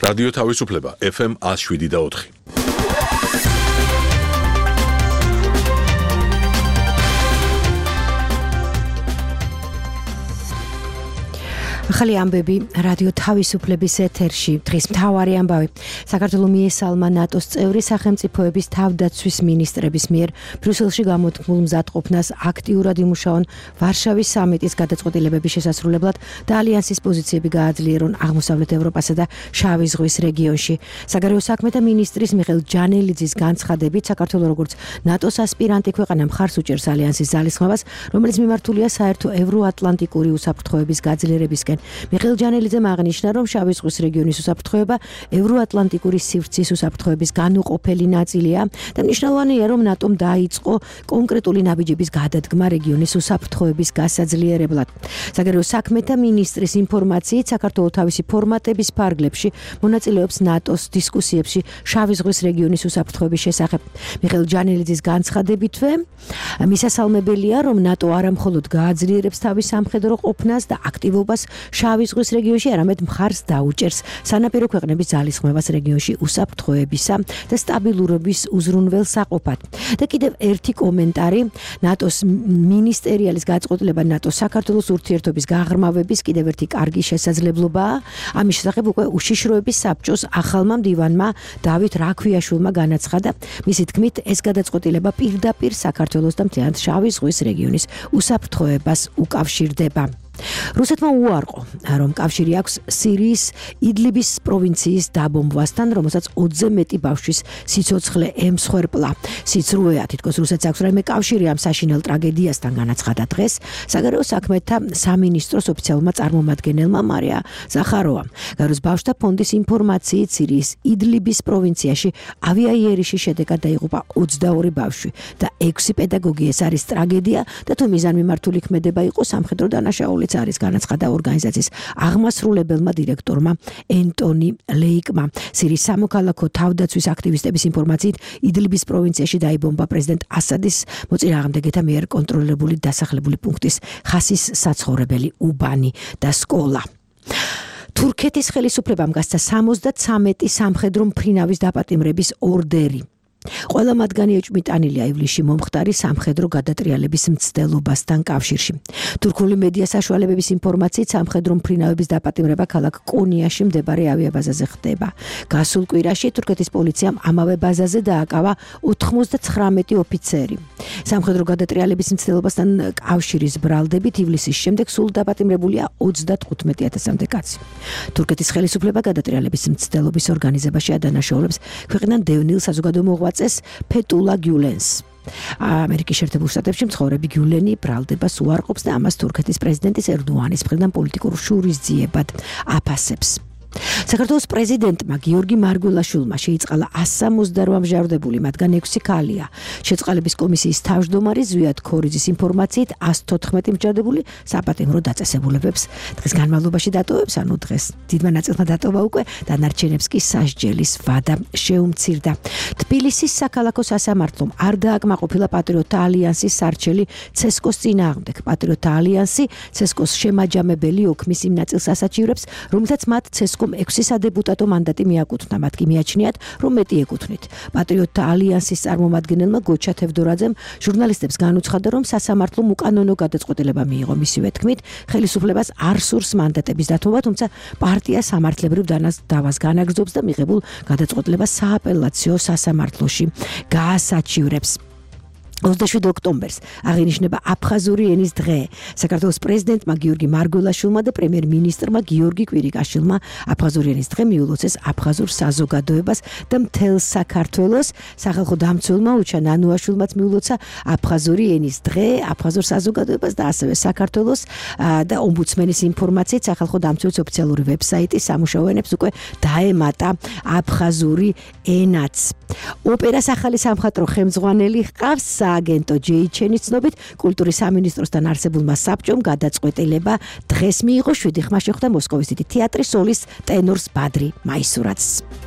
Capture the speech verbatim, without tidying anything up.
რადიო თავისუფლება ეფ ემ one oh seven და four. ახალი ამბები რადიო თავისუფლების ეთერში. დღის მთავარი ამბავი. საქართველოს მიესალმა ნატოს წევრი სახელმწიფოების თავდაცვის მინისტრების მიერ ბრიუსელში გამოთქმულ მზადყოფნას აქტიურად იმუშაონ ვარშავის სამიტის გადაწყვეტილებების შესასრულებლად და ალიანსის პოზიციები გააძლიერონ აღმოსავლეთ ევროპასა და შავი ზღვის რეგიონში. საგარეო საქმეთა მინისტრის მიხეილ ჯანელიძის განცხადებით, საქართველოს როგორც ნატოს ასპირანტი ქვეყანა მხარს უჭერს ალიანსის ძალისხმევას, რომელიც მიმართულია საერთო ევროატლანტიკური უსაფრთხოების გაძლიერებისკენ. მიხეილ ჯანელიძემ აღნიშნა, რომ შავი ზღვის რეგიონის უსაფრთხოება ევროატლანტიკური სივრცის უსაფრთხოების განუყოფელი ნაწილია და მნიშვნელოვანია, რომ ნატომ დაიწყო კონკრეტული ნაბიჯების გადადგმა რეგიონის უსაფრთხოების გასაძლიერებლად. საგარეო საქმეთა მინისტრის ინფორმაციით, საქართველოს თავისი ფორმატების ფარგლებში მონაწილეობს ნატოს დისკუსიებში შავი ზღვის რეგიონის უსაფრთხოების შესახებ. მიხეილ ჯანელიძის განცხადებითვე, მისასალმებელია, რომ ნატო არა მხოლოდ გააძლიერებს თავის სამხედრო ყოფნას და აქტივობას შავი ზღვის რეგიონში, არამედ მხარს დაუჭერს სანაპირო ქვეყნების ძალისხმევას რეგიონში უსაფრთხოებისა და სტაბილურობის უზრუნველსაყოფად. და კიდევ ერთი კომენტარი, ნატოს მინისტერიალის გადაწყვეტილება ნატოს საქართველოს ურთიერთობის გაღრმავების კიდევ ერთი კარგი შესაძლებლობაა. ამის შესახებ უკვე უშიშროების საბჭოს ახალმა მდივანმა დავით რაქვიაშვილმა განაცხადა. მისი თქმით, ეს გადაწყვეტილება პირდაპირ საქართველოს და მთლიანად შავი ზღვის რეგიონის უსაფრთხოებას უკავშირდება. რუსეთმა უარყო, რომ კავშირი აქვს სირიის იდლიბის პროვინციის დაბომბვასთან, რომელსაც ოცზე მეტი ბავშვის სიცოცხლე ემსხვერპლა. სიცრუეა, თითქოს რუსეთს აქვს რაიმე კავშირი ამ საშინელ ტრაგედიასთან, განაცხადა დღეს საგარეო საქმეთა სამინისტროს ოფიციალურმა წარმომადგენელმა მარია ზახაროვამ. გაეროს ბავშვთა ფონდის ინფორმაციით, სირიის იდლიბის პროვინციაში ავიაიერიშის შედეგად დაიღუპა ოცდაორი ბავშვი და ექვსი პედაგოგი. ეს არის ტრაგედია და თუ მიზანმიმართული ქმედება იყო, სამხედრო დანაშაული არის, განაცხადა ორგანიზაციის აღმასრულებელმა დირექტორმა ენტონი ლეიკმა. სირიის სამოქალაქო თავდაცვის აქტივისტების ინფორმაციით, იდლიბის პროვინციაში დაიბომბა პრეზიდენტ ასადის მოწინააღმდეგეთა მიერ კონტროლირებული დასახლებული პუნქტის ხასის საცხოვრებელი უბანი და სკოლა. თურქეთის ხელისუფლებამ გასცა სამოცდათვრამეტი სამხედრო მფრინავის დაპატიმრების ორდერი. ყველა მათგანი ეჭვმიტანილია ივლისში მომხდარი სამხედრო გადატრიალების მცდელობასთან კავშირში. თურქული მედია საშუალებების ინფორმაციით, სამხედრო მფრინავების დაპატიმრება ქალაქ კონიაში მდებარე ავიაბაზაზე ხდება. გასულ კვირაში თურქეთის პოლიციამ ამავე ბაზაზე დააკავა ოცდათვრამეტი ოფიცერი. სამხედრო გადატრიალების მცდელობასთან კავშირის ბრალდებით ივლისის შემდეგ სულ დაპატიმრებულია ოცდათხუთმეტი ათასამდე კაცი. თურქეთის ხელისუფლება გადატრიალების მცდელობის ორგანიზებაში ადანაშაულებს ქვეყნიდან დევნილ საზოგადო მოღვაწეს ფეტულა გიულენს. ამერიკის შეერთებულ შტატებში მცხოვრები გიულენი ბრალდებას უარყოფს და ამას თურქეთის პრეზიდენტის ერდოანის მხრიდან პოლიტიკურ შურისძიებად აფასებს. საქართველოს პრეზიდენტმა გიორგი მარგველაშვილმა შეიწყალა one sixty-eight მჟავრდებული, მათგან ექვსი ქალია. შეწყალების კომისიის თავმჯდომარე ზვიად ქორიძის ინფორმაციით, one fourteen მჯავრდებული საპატიმრო დაწესებულებებს დღის განმავლობაში დატოვებს, ანუ დღეს დიდმა ნაწილმა დატოვა უკვე, დანარჩენებს კი სასჯელის ვადა შეუმცირდა. თბილისის საქალაქო სასამართლომ არ დააკმაყოფილა პატრიოტთა ალიანსის სარჩელი ცესკოს წინააღმდეგ. პატრიოტთა ალიანსი ცესკოს შემაჯამებელი ოქმის იმ ნაწილს ასაჩივრებს, რომელთაც მათ ცესკო ექვსი სადეპუტატო მანდატი მიაკუთვნა, მათ კი მიაჩნიათ, რომ მეტი ეკუთვნით. პატრიოტთა ალიანსის წარმომადგენელმა გოჩა თევდორაძემ ჟურნალისტებს განუცხადა, რომ სასამართლომ უკანონო გადაწყვეტილება მიიღო. მისივე თქმით, ხელისუფლებას არ სურს მანდატების დათმობა, თუმცა პარტია სამართლებრივ დავას განაგრძობს და მიღებულ გადაწყვეტილებას სააპელაციო სასამართლოში გაასაჩივრებს. ოცდაშვიდი ოქტომბერს აღინიშნება აფხაზური ენის დღე. საქართველოს პრეზიდენტმა გიორგი მარგველაშვილმა და პრემიერ-მინისტრმა გიორგი კვირიკაშვილმა აფხაზური ენის დღე მიულოცეს აფხაზურ საზოგადოებას და მთელ საქართველოს. სახალხო დამცველმა უჩა ნანუაშვილმაც მიულოცა აფხაზური ენის დღე, აფხაზურ საზოგადოებას და ასევე საქართველოს და ომბუდსმენის ინფორმაციით, სახალხო დამცველის ოფიციალური ვებსაიტი სამუშაო ენებს უკვე დაემატა აფხაზური ენაც. ოპერას ახალი სამხატვრო ხელმძღვანელი ჰყავს. სააგენტო ჯეიჩენის ცნობით, კულტურის სამინისტროსთან არსებულმა საბჭომ გადაწყვეტილება დღეს მიიღო. შვიდი ხმა შეხვდა მოსკოვის დიდი თეატრის სოლის ტენორს ბადრი მაისურაძს.